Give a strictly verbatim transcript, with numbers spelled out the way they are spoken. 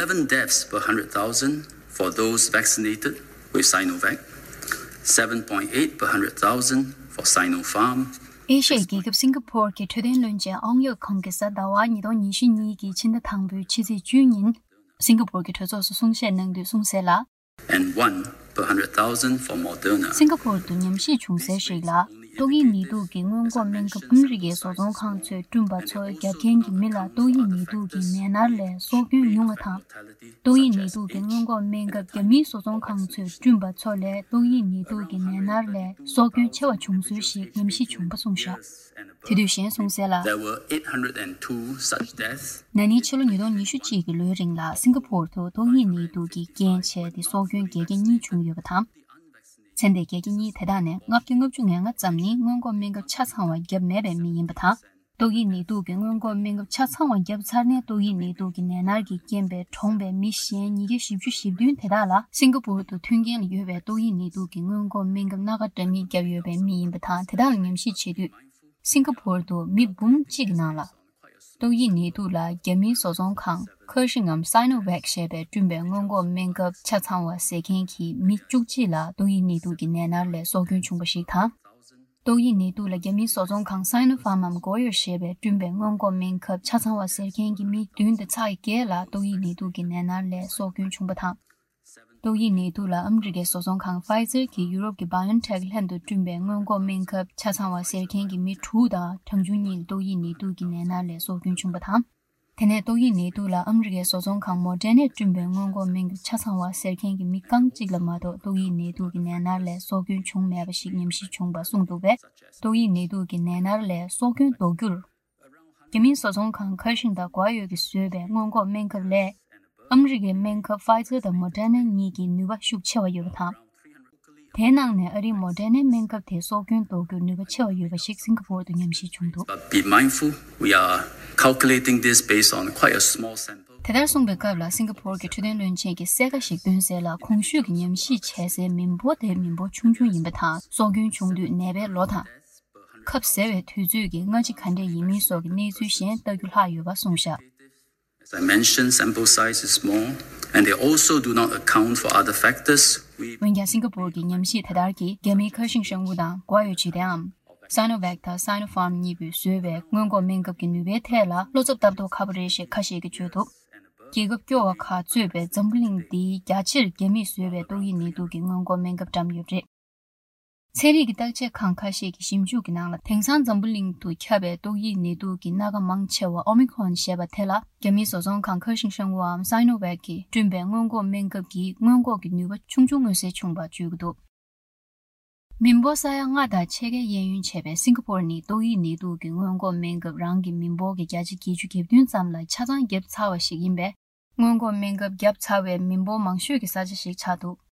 Seven deaths per one hundred thousand for those vaccinated with Sinovac, seven point eight per one hundred thousand for Sinopharm. ཨེ་ཤ་ཡའི་རྒྱལ་ཁབ་སིང་ག་ཕོར་གྱི་འཕྲོད་བསྟེན་བློན་ཆེན་ཨང་ཡོག་ཁང་གིས་གཟའ་ཟླ་བ་ཉིས་སྟོང་ཉི་ཤུ་གཉིས་ཀྱི་ཕྱི་ཟླ་དང་པོའི་ཕྱི་ཚེས་བཅུ་ཉིན་སིང་ག་ཕོར་གྱི་གྲོས་ཚོགས་སུ་གསུང་བཤད་གནང་དུས་གསུངས་གསལ་ལ། And one per hundred thousand for Moderna. སིང་ག་ཕོར་དུ་ཉམས་ཞིབ་བྱུང་གསལ་ཞིག་ལ། ཏོག་དབྱིབས་ནད་དུག་གི་སྔོན་འགོག་སྨན་ཁབ་ཨ་མི་རི་ཀའི་བཟོ་ཚོང་ཁང་ཚོས་བསྐྲུན་པ་ཚོ་བརྒྱབ་མཁན་གྱི་མི་ལ་ཏོག་དབྱིབས་ནད་དུག་གི་ནད་མནར་ལས་སྲོག་སྐྱོན་ཉུང་བ་དང་། ཏོག་དབྱིབས་ནད་དུག་གི་སྔོན་འགོག་སྨན་ཁབ་རྒྱ་མིའི་བཟོ་ཚོང་ཁང་ཚོས་བསྐྲུན་པ་ཚོ་ལས་ཏོག་དབྱིབས་ནད་དུག་གི་ནད་མནར་ལས་སྲོག་སྐྱོན་ཆེ་བ་བྱུང་ཚུལ་ཞིག་ཉམས་ཞིབ་བྱུང་པ་གསུངས་བཞག་དེ་དུས་གཞན་གསུངས་གསལ་ལ། There were eight hundred and two such deaths. ན་ནིང་ཕྱི་ལོ་ཉིས་སྟོང་ཉི་ཤུ་གཅིག་གི་ལོའི་རིང་ལ་སིང་ག་ཕོར་དུ་ཏོག་དབྱིབས་ནད་དུག་གི་རྐྱེན་བྱས་ཏེ་སྲོག་སྐྱོན་བརྒྱད་བརྒྱ་གཉིས་བྱུང་ཡོད་པ་དང་། ཚེ་འདས་བརྒྱད་བརྒྱ་གཉིས་དེ་དག་ནས་ལྔ་བརྒྱ་ལྔ་བཅུ་ང་ལྔ་ཙམ་ནི་སྔོན་འགོག་སྨན་ཁབ་ཆ་ཚང་བ་བརྒྱབ་མེད་པའི་མི་ཡིན་པ་དང་། ཏོག་དབྱིབས་ནད་དུག་གི་སྔོན་འགོག་སྨན་ཁབ་ཆ་ཚང་བ་བརྒྱབ་ཚར་ནས་ཏོག་དབྱིབས་ནད་དུག་གི་ནད་མནར་གྱི་རྐྱེན་པས་གྲོངས་པའི་མི་གཞན་ཉིས་བརྒྱ་བཞི་བཅུ་ཞེ་བདུན་དེ་དག་ལ་སིང་ག་ཕོར་དུ་མཐུན་རྐྱེན་ལ་ཡོད་པའི་ཏོག་དབྱིབས་ནད་དུག་གི་སྔོན་འགོག་སྨན་ཁབ་སྣ་ཁ་འདྲ་མིན་བརྒྱབ་ཡོད་པའི་མི་ཡིན་པ་དང་། དེ་དག་ལ་ཉམས་ཞིབ་བྱེད་དུས། སིང་ག་ཕོར་དུ་མི་འབུམ་གཅིག་གི་ནང་ལ། ཏོག་དབྱིབས་ནད་དུག་ལ་རྒྱ་མིའི་བཟོ་ཚོང་ཁང་ཁེར་ཤིང་ངམ་Sinovac་ཞེས་པས་བསྐྲུན་པའི་སྔོན་འགོག་སྨན་ཁབ་ཆ་ཚང་བ་ཟེར་མཁན་གྱི་མི་བཅུ་གཅིག་ལ་ཏོག་དབྱིབས་ནད་དུག་གི་ནད་མནར་ལས་སྲོག་སྐྱོན་བྱུང་བ་ཞིག་དང་། ཏོག་དབྱིབས་ནད་དུག་ལ་རྒྱ་མིའི་བཟོ་ཚོང་ཁང་Sinopharm་ངམ་Goyo་ཞེས་པས་བསྐྲུན་པའི་སྔོན་འགོག་སྨན་ཁབ་ཆ་ཚང་བ་ཟེར་མཁན་གྱི་མི་བདུན་དང་ཚེག་བརྒྱད་ལ་ཏོག་དབྱིབས་ནད་དུག་གི་ནད་མནར་ལས་སྲོག་སྐྱོན་བྱུང་བ་དང་། ཏོག་དབྱིབས་ནད་དུག་ལ་ཨ་མི་རི་ཀའི་བཟོ་ཚོང་ཁང་Pfizer་གྱིས་ཡུ་རོབ་ཀྱི་BioNTech་ལྷན་དུ་བསྐྲུན་པའི་སྔོན་འགོག་སྨན་ཁབ་ཆ་ཚང་བ་ཟེར་མཁན་གྱི་མི་དྲུག་དང་གྲངས་ཆུང་གཉིས་ཏོག་དབྱིབས་ནད་དུག་གི་ནད་མནར་ལས་སྲོག་སྐྱོན་བྱུང་བ་དང་། དེ་ནས་ཏོག་དབྱིབས་ནད་དུག་ལ་ཨ་མི་རི་ཀའི་བཟོ་ཚོང་ཁང་Moderna་བསྐྲུན་པའི་སྔོན་འགོག་སྨན་ཁབ་ཆ་ཚང་བ་ཟེར་མཁན་གྱི་མི་རྐང་གཅིག་ལ་མ་གཏོགས་ཏོག་དབྱིབས་ནད་དུག་གི་ནད་མནར་ལས་སྲོག་སྐྱོན་བྱུང་མེད་པ་ཞིག་ཉམས་ཞིབ་བྱུང་བ་གསུངས་འདུག་པས། ཏོག་དབྱིབས་ནད་དུག་གི་ནད་མནར་ལས་སྲོག་སྐྱོན་ཟློག་རྒྱུར། རྒྱ་མིའི་བཟོ་ཚོང་ཁང་ཁེར་ཤིང་དང་Goyo་གིས་བཟོས་པའི་སྔོན་འགོག་སྨན་ཁབ་ལས། ཨ་མི་རི་ཀའི་སྨན་ཁབ་Pfizer་དང་Moderna་གཉིས་ཀྱི་ནུས་པ་ཤུགས་ཆེ་བ་ཡོད་པ་དང་། དེའི་ནང་ནས་ཨ་རིའི་Moderna་སྨན་ཁབ་དེ་སྲོག་སྐྱོན་ཟློག་རྒྱུར་ནུས་པ་ཆེ་བ་ཡོད་པ་ཞིག་སིང་ག་ཕོར་དུ་ཉམས་ཞིབ་བྱུང་འདུག But be mindful, we are calculating this based on quite a small sample. དེ་ལྟར་གསུངས་པའི་སྐབས་ལ་སིང་ག་ཕོར་གྱི་འཕྲོད་བསྟེན་བློན་ཆེན་གྱིས་གསལ་ཁ་ཞིག་བཏོན་གསལ་ལ། གོང་ཞུས་ཀྱི་ཉམས་ཞིབ་བྱས་སའི་མི་འབོར་དེ་མི་འབོར་ཆུང་ཆུང་ཡིན་པ་དང་། སྲོག་སྐྱོན་བྱུང་དུས་ནད་པའི་ལོ་དང་། ཁབ་བཟས་པའི་དུས་ཚོད་ཀྱི་སྔ་ཕྱི་ག་འདྲས་ཡིན་མིན་སོགས་ཀྱི་གནས་ཚུལ་གཞན་ལྟ་རྒྱུ་ལྷག་ཡོད་པ་གསུངས་བཞག As I mentioned, sample size is small, and they also do not account for other factors. We འོན་ཀྱང་སིང་ག་ཕོར་གྱི་ཉམས་ཞིབ་དེ་ལྟར་གྱིས་རྒྱ་མིའི་ཁེར་ཤིང་ཧྲན་ཝུ་དང་Goyo་བྱེད་གཏེའམ། Sinovac་དང་Sinopharm་གཉིས་པོས་བཟོས་པའི་སྔོན་འགོག་སྨན་ཁབ་ཀྱི་ནུས་པའི་ཐད་ལ་བློ་འཚབ་ལྟ་རྟོག་ཁ་པོ་རེད་ཞེས་ཁ་ཤས་ཀྱིས་བརྗོད་འདུག་རྒྱལ་ཁབ་སྐྱོ་བ་ཁག་གཙོས་པའི་འཛམ་བུ་གླིང་འདིའི་རྒྱ་ཆེར་རྒྱ་མིས་བཟོས་པའི་ཏོག་དབྱིབས་ནད་དུག་གི་སྔོན་འགོག་སྨན་ཁབ་བཀྲམ་ཡོད་པ་རེད། ཚན་རིག་གི་བརྟག་དཔྱད་ཁང་ཁ་ཤས་ཀྱི་ཞིབ་འཇུག་གི་ནང་ལ། དེང་སང་འཛམ་བུ་གླིང་དུ་ཁྱབ་པའི་ཏོག་དབྱིབས་ནད་དུག་གི་སྣ་ཁ་མང་ཆེ་བ་Omicron་ཞེས་པ་དེ་ལ་རྒྱ་མིའི་བཟོ་ཚོང་ཁང་ཁེར་ཤིང་ཧྲན་ཝུའམ་Sinovac་གིས་བསྐྲུན་པའི་སྔོན་འགོག་སྨན་ཁབ་ཀྱིས་སྔོན་འགོག་གི་ནུས་པ་ཆུང་ཆུང་མངོན་གསལ་བྱུང་བ་བརྗོད་ཀྱི་འདུག་མི་འབོར་ས་ཡ་ལྔ་དང་ཕྱེད་ཀའི་གཡས་གཡོན་བྱས་པའི་སིང་ག་ཕོར་ནི་ཏོག་དབྱིབས་ནད་དུག་གི་སྔོན་འགོག་སྨན་ཁབ་རང་གི་མི་འབོར་གྱི་བརྒྱ་ཆ་བརྒྱད་ཅུ་གྱ་བདུན་ཙམ་ལ་ཆ་ཚང་བརྒྱབ་ཚར་བ་ཞིག་ཡིན་པས། སྔོན་འགོག་སྨན་ཁབ་བརྒྱབ་ཚར་བའི་མི་འབོར་མང་ཤོས་ཀྱི་ས་ཆ་ཞིག་ཆགས་འདུག